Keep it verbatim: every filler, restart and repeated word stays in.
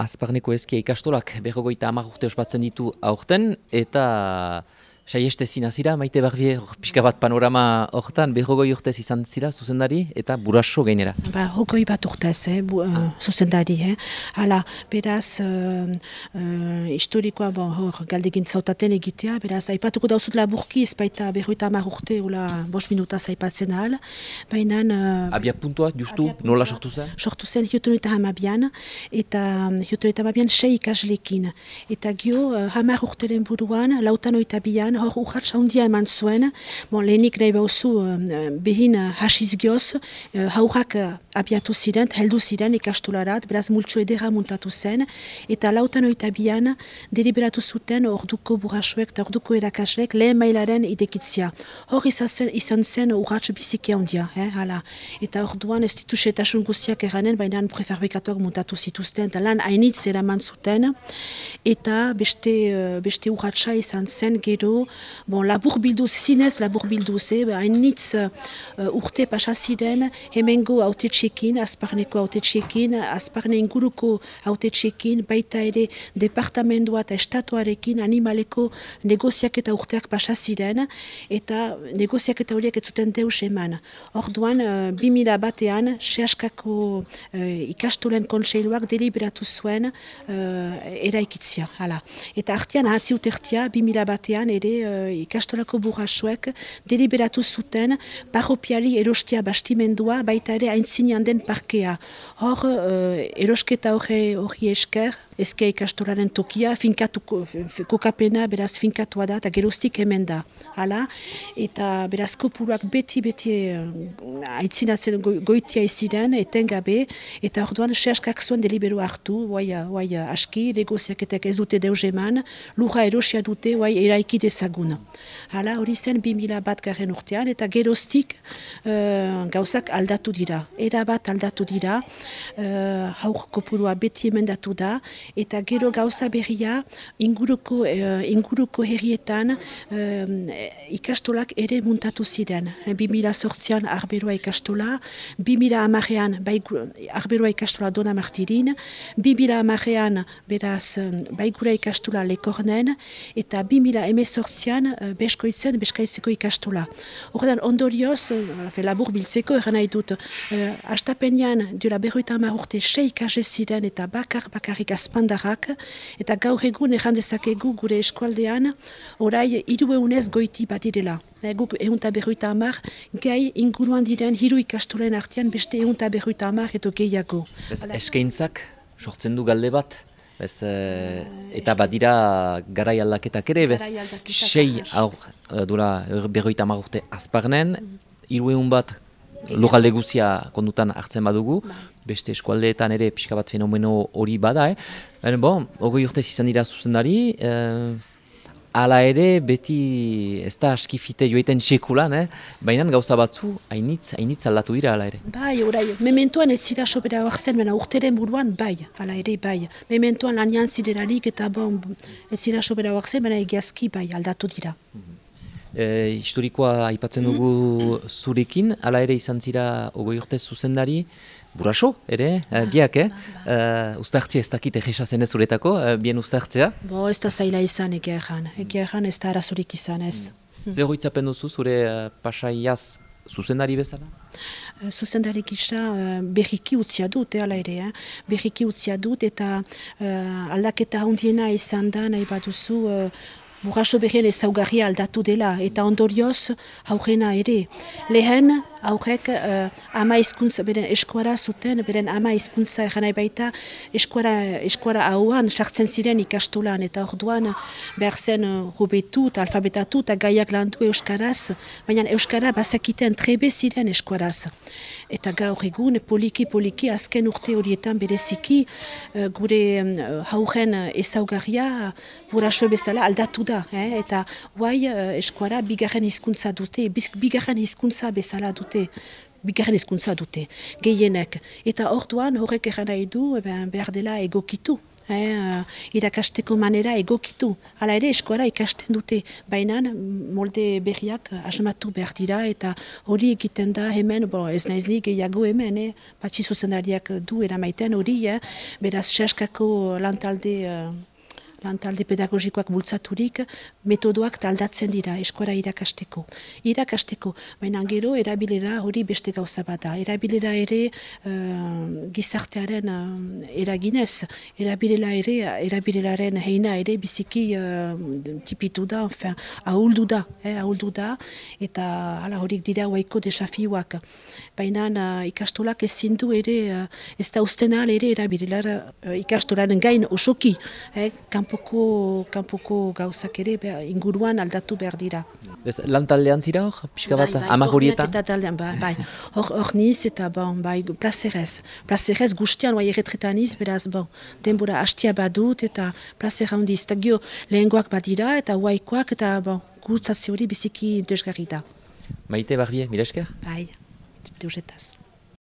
Azparneko Ezkia ikastolak berrogeita hamar urte ospatzen ditu aurten, eta saiestezina zira, Maite Barbier, pixka bat panorama hortan, berrogoi urtez izan zira zuzendari, eta buraso gainera. Ba, hogoi bat urtez, eh, bu, uh, zuzendari. Eh. Hala, beraz, uh, uh, historikoa, bon, hor, galdegin zautaten egitea, beraz, aipatuko dauzut laburki, ez baita berrogeita hamar urte, ula, bost minutaz aipatzen ahal, baina... Uh, abia puntua, justu, abia puntua, nola sortu zen? Sortu zen hiotonueta hamabian, eta hiotonueta hamabian sei ikaslekin. Eta gio, uh, hamar urteren buruan, lautan oita bian, hor urratsa handia eman zuen, bon, lehenik nahi bauzu uh, behin uh, hasiz gioz, uh, haurrak uh, abiatu ziren, heldu ziren ikastolarat, beraz multxo edera muntatu zen, eta lautan oita bian deliberatu zuten orduko burasuek eta orduko erakaslek lehen mailaren idekitzia. Hor izan zen, izan zen urrats biziki handia, eh, hala. Eta orduan ez ditu setasun guztiak eranen, baina prefabrikatuak muntatu zituzten, eta lan hainitz eraman zuten, eta beste, uh, beste urratsa izan zen gero, bon, labur bilduz, zinez labur bilduz, eh, hainitz uh, urte pasaziren, hemengo autetxekin, Azparneko autetxekin, Azparne inguruko autetxekin, baita ere departamendua eta estatuarekin animaleko negoziak eta urteak pasaziren, eta negoziak eta horiek ez zuten deus eman. Orduan, uh, bi mila batean, Sehaskako uh, ikastolen kontseiluak deliberatu zuen uh, eraikitzia. Hala. Eta artean, ahatzi utertia, bi mila batean ere uh, ikastolako burrasuek deliberatu zuten parropiali erostea bastimendua, baita ere aintzinean den parkea. Hor, uh, erosketa hori, hori esker, Ezkia ikastolaren tokia, finkatu, kokapena, beraz finkatua da, eta geroztik hemen da. Hala, eta beraz kopuruak beti-beti uh, aitzinatzen go, goitia iziren, etengabe, eta orduan Sehaskak zuen delibero hartu, guai, guai aski, negoziaketek ez dute deus eman, lurra erosia dute, guai eraiki dezagun. Hala, hori zen bi mila bat garen urtean, eta geroztik uh, gauzak aldatu dira. Era bat aldatu dira, uh, haur kopurua beti emendatu da, eta gero gauza berria inguruko, uh, inguruko herrietan uh, ikastolak ere muntatu ziren. bi mila sortzian arberoa ikastola, bi mila hamarean arberoa ikastola Dona Martirin, bi mila hamarean beraz baigura ikastola Lekornen, eta bi mila hemezortzian uh, beskoitzen, beskaitzeko ikastola. Horretan ondorioz, uh, labur biltzeko eran nahi dut, uh, astapenean diola berroita hamar urte sei ikasle ziren eta bakar bakarrik azpandarrak, eta gaur egun erran dezakegu gure eskualdean orai hirueunez goiti badirela. E, guk ehunta berroita hamar, gai inguruan diren hiru ikastolen artean beste ehunta berroita hamar edo gehiago. Ez eskaintzak sortzen du galde bat? Ez, e, eta badira garai aldaketak ere, bez, sei aur dura berroita hamar urte Azparnen, hirueun bat lugalde guzia kondutan hartzen badugu, beste eskualdeetan ere pixka bat fenomeno hori bada, eh? E, bon, ogoi urtez izan dira zuzendari, eh, hala ere beti ez da askifite joiten sekulan, eh? Baina gauza batzu hainitz, hainitz aldatu dira hala ere. Bai, orai, mementoan ez zira sobera horzen, baina urteren buruan bai, hala ere bai. Mementoan lanian ziderarik eta bon, ez zira sobera horzen, baina egiazki bai aldatu dira. Mm-hmm. E, historikoa aipatzen dugu zurekin, hala ere izan zira ogoi urtez zuzendari, buraso, ere, ba, biak, eh? Ba, ba. Uh, ustartzea ez dakit egesa zenez zuretako, uh, bien ustartzea? Bo, ez da zaila izan egia erran, egia erran ez da arazorik izan ez. Mm. Zer hoitzapen duzu zure uh, pasaiaz zuzendari bezala? Uh, zuzendari gisa uh, berriki utzia dut, eh, ala ere, eh? berriki utzia dut eta uh, aldaketa handiena izan da nahi baduzu uh, Buraso berrien ezaugarria aldatu dela, eta ondorioz haurena ere. Lehen, haurek uh, ama hizkuntza, beren eskuara zuten, beren ama hizkuntza eranai baita eskuara, eskuara hauan sartzen ziren ikastolan, eta orduan behar zen uh, hobetu eta alfabetatu eta gaiak landu euskaraz, baina euskara bazakiten trebe ziren eskuaraz. Eta gaur egun, poliki-poliki, azken urte horietan bereziki, uh, gure um, hauren ezaugarria buraso bezala aldatu da, eh? Eta guai uh, eskuara bigarren hizkuntza dute, bigarren hizkuntza bezala dute, bigarren hizkuntza dute, gehienek. Eta orduan horrek eran nahi du, behar dela egokitu. eh, irakasteko manera egokitu. Hala ere, eskola ikasten dute, baina molde berriak asmatu behar dira, eta hori egiten da hemen, bo, ez naizli gehiago hemen, eh, patxi zuzendariak du eramaiten hori, eh, beraz, sehaskako lantalde... Uh, lantalde pedagogikoak bultzaturik, metodoak taldatzen dira eskola irakasteko. Irakasteko, baina gero erabilera hori beste gauza bat da. Erabilera ere uh, gizartearen uh, eraginez, erabilera ere, erabileraren heina ere biziki uh, tipitu da, enfin, ahuldu da, eh, ahuldu da, eta hala horik dira huaiko desafioak. Baina uh, ikastolak ezin du ere, uh, ez da usten ahal ere erabilera uh, ikastolaren gain osoki, eh, Kanpoko, kanpoko gauzak ere be, inguruan aldatu behar dira. Ez, lan taldean zira hor, pixka bat, bai, bai, hamar horietan? Bai, bai, hor, hor niz eta bon, bai, plazerez. Plazerez guztian, bai, erretretan niz, beraz, bon, denbora hastia badut eta plazera handiz. Eta gio, lehengoak badira eta huaikoak eta, bon, gurutzazio hori biziki desgarri da. Maite, Barbie, mila esker? Bai, deusetaz.